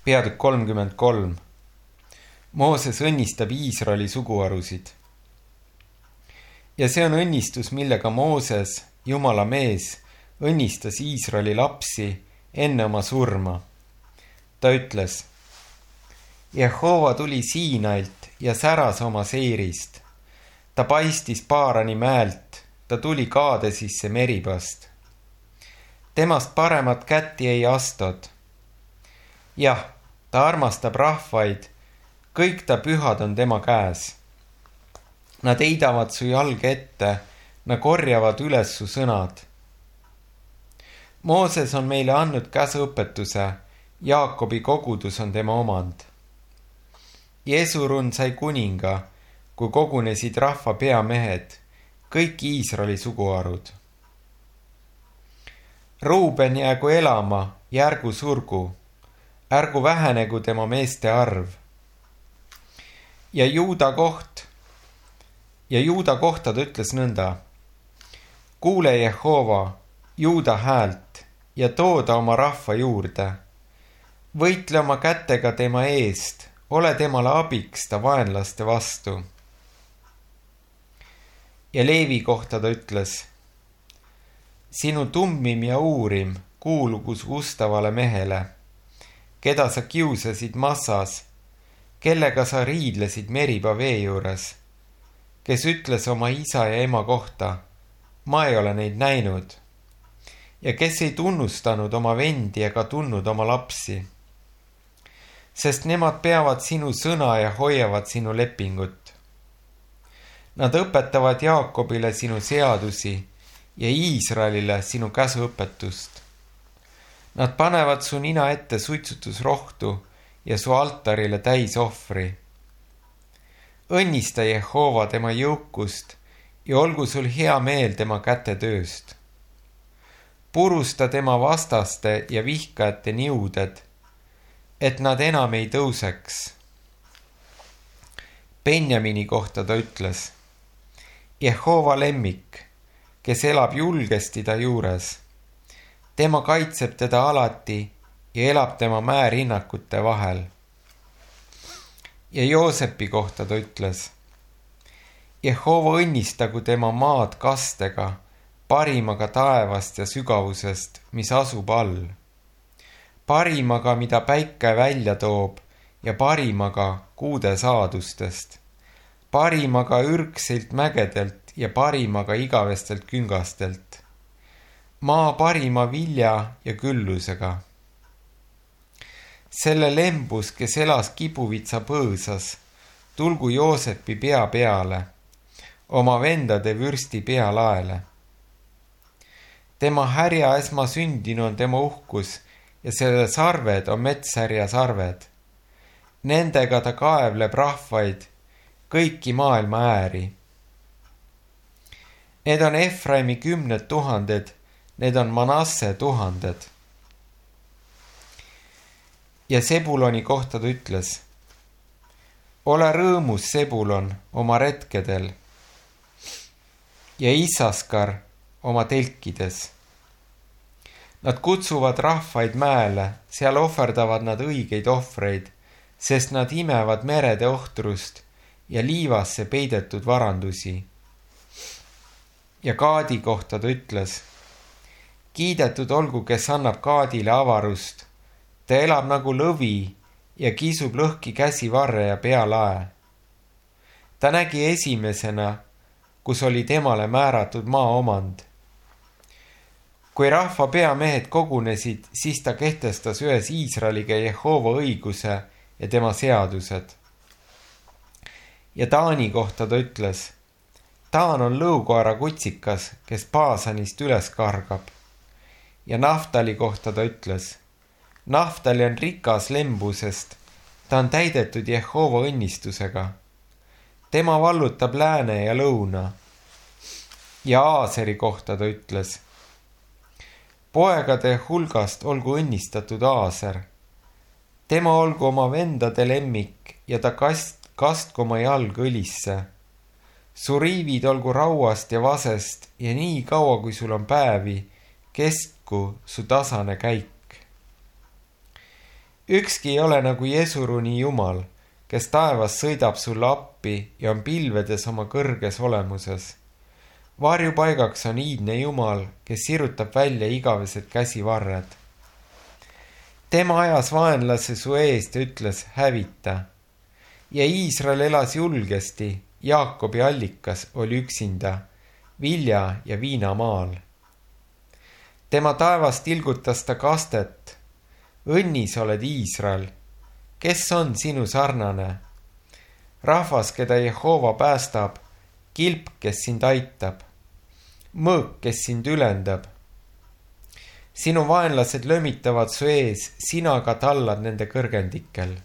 Peatükk 33. Mooses õnnistab Iisraeli suguharusid. Ja see on õnnistus, millega Mooses, Jumala mees, õnnistas Iisraeli lapsi enne oma surma. Ta ütles: Jehova tuli Siinailt ja säras oma seirist. Ta paistis Paarani mäelt, ta tuli Kaadesisse Meribast. Temast paremat kätti ei astud. Jah, ta armastab rahvaid, kõik ta pühad on tema käes. Nad heidavad su jalge ette, nad korjavad üles su sõnad. Mooses on meile andnud käsuõpetuse, Jaakobi kogudus on tema omand. Jesurun sai kuninga, kui kogunesid rahva peamehed, kõik Iisraeli suguharud. Ruuben jäägu elama, järgu surgu, ärgu vähenegu tema meeste arv. Ja Juuda kohta ta ütles nõnda: kuule Jehova, Juuda häält ja tooda oma rahva juurde. Võitle oma kätega tema eest, ole temale abiks ta vaenlaste vastu. Ja Leevi kohta ta ütles: sinu tummim ja uurim kuulugu su ustavale mehele, keda sa kiusasid Massas, kellega sa riidlesid Meriba vee juures, kes ütles oma isa ja ema kohta: ma ei ole neid näinud, ja kes ei tunnustanud oma vendi ega tundnud oma lapsi. Sest nemad peavad sinu sõna ja hoiavad sinu lepingut. Nad õpetavad Jaakobile sinu seadusi ja Iisraelile sinu käsuõpetust. Nad panevad su nina ette suitsutusrohtu ja su altarile täisohvri. Õnnista Jehova tema jõukust ja olgu sul hea meel tema kätetööst. Purusta tema vastaste ja vihkajate niuded, et nad enam ei tõuseks. Benjamini kohta ta ütles: Jehova lemmik, kes elab julgesti ta juures. Tema kaitseb teda alati ja elab tema mäerinnakute vahel. Ja Joosepi kohta ta ütles: Jehova õnnistagu tema maad kastega, parimaga taevast ja sügavusest, mis asub all. Parimaga, mida päike välja toob, ja parimaga kuude saadustest. Parimaga ürgsilt mägedelt ja parimaga igavestelt küngastelt. Maa parima vilja ja küllusega. Selle lembus, kes elas Kibuvitsa põõsas, tulgu Joosepi pea peale, oma vendade vürsti pealaele. Tema härja esmasündinu on tema uhkus ja selle sarved on metshärja sarved. Nendega ta kaevleb rahvaid, kõiki maailma ääri. Need on Efraimi 10 000, need on Manasse 1000. Ja Sebuloni kohta ta ütles: ole rõõmus, Sebulon, oma retkedel ja Issaskar oma telkides. Nad kutsuvad rahvaid mäele, seal ohverdavad nad õigeid ohvreid, sest nad imevad merede ohtrust ja liivasse peidetud varandusi. Ja Gaadi kohta ta ütles: kiidetud olgu, kes annab Gaadile avarust. Ta elab nagu lõvi ja kisub lõhki käsivarre ja pealae. Ta nägi esimesena, kus oli temale määratud maaomand. Kui rahva peamehed kogunesid, siis ta kehtestas ühes Iisraeliga Jehova õiguse ja tema seadused. Ja Taani kohta ta ütles: Taan on lõukoera kutsikas, kes Paasanist üles kargab. Ja Naftali kohta ta ütles: Naftali on rikas lembusest, ta on täidetud Jehova õnnistusega. Tema vallutab lääne ja lõuna. Ja Aaseri kohta ta ütles: poegade hulgast olgu õnnistatud Aaser. Tema olgu oma vendade lemmik ja ta kastku oma jalg õlisse. Su riivid olgu rauast ja vasest ja nii kaua, kui sul on päevi, kestku su tasane käik. Ükski ei ole nagu Jesuruni Jumal, kes taevas sõidab sulle appi ja on pilvedes oma kõrges olemuses. Varjupaigaks on iidne Jumal, kes sirutab välja igavesed käsivarred. Tema ajas vaenlase su eest ja ütles hävita. Ja Iisrael elas julgesti, Jaakobi allikas oli üksinda, vilja ja viinamaal. Tema taevas tilgutas ta kastet. Õnnis oled Iisrael, kes on sinu sarnane? Rahvas, keda Jehova päästab, kilp, kes sind aitab, mõõk, kes sind ülendab. Sinu vaenlased lömitavad su ees, sina aga tallad nende kõrgendikel.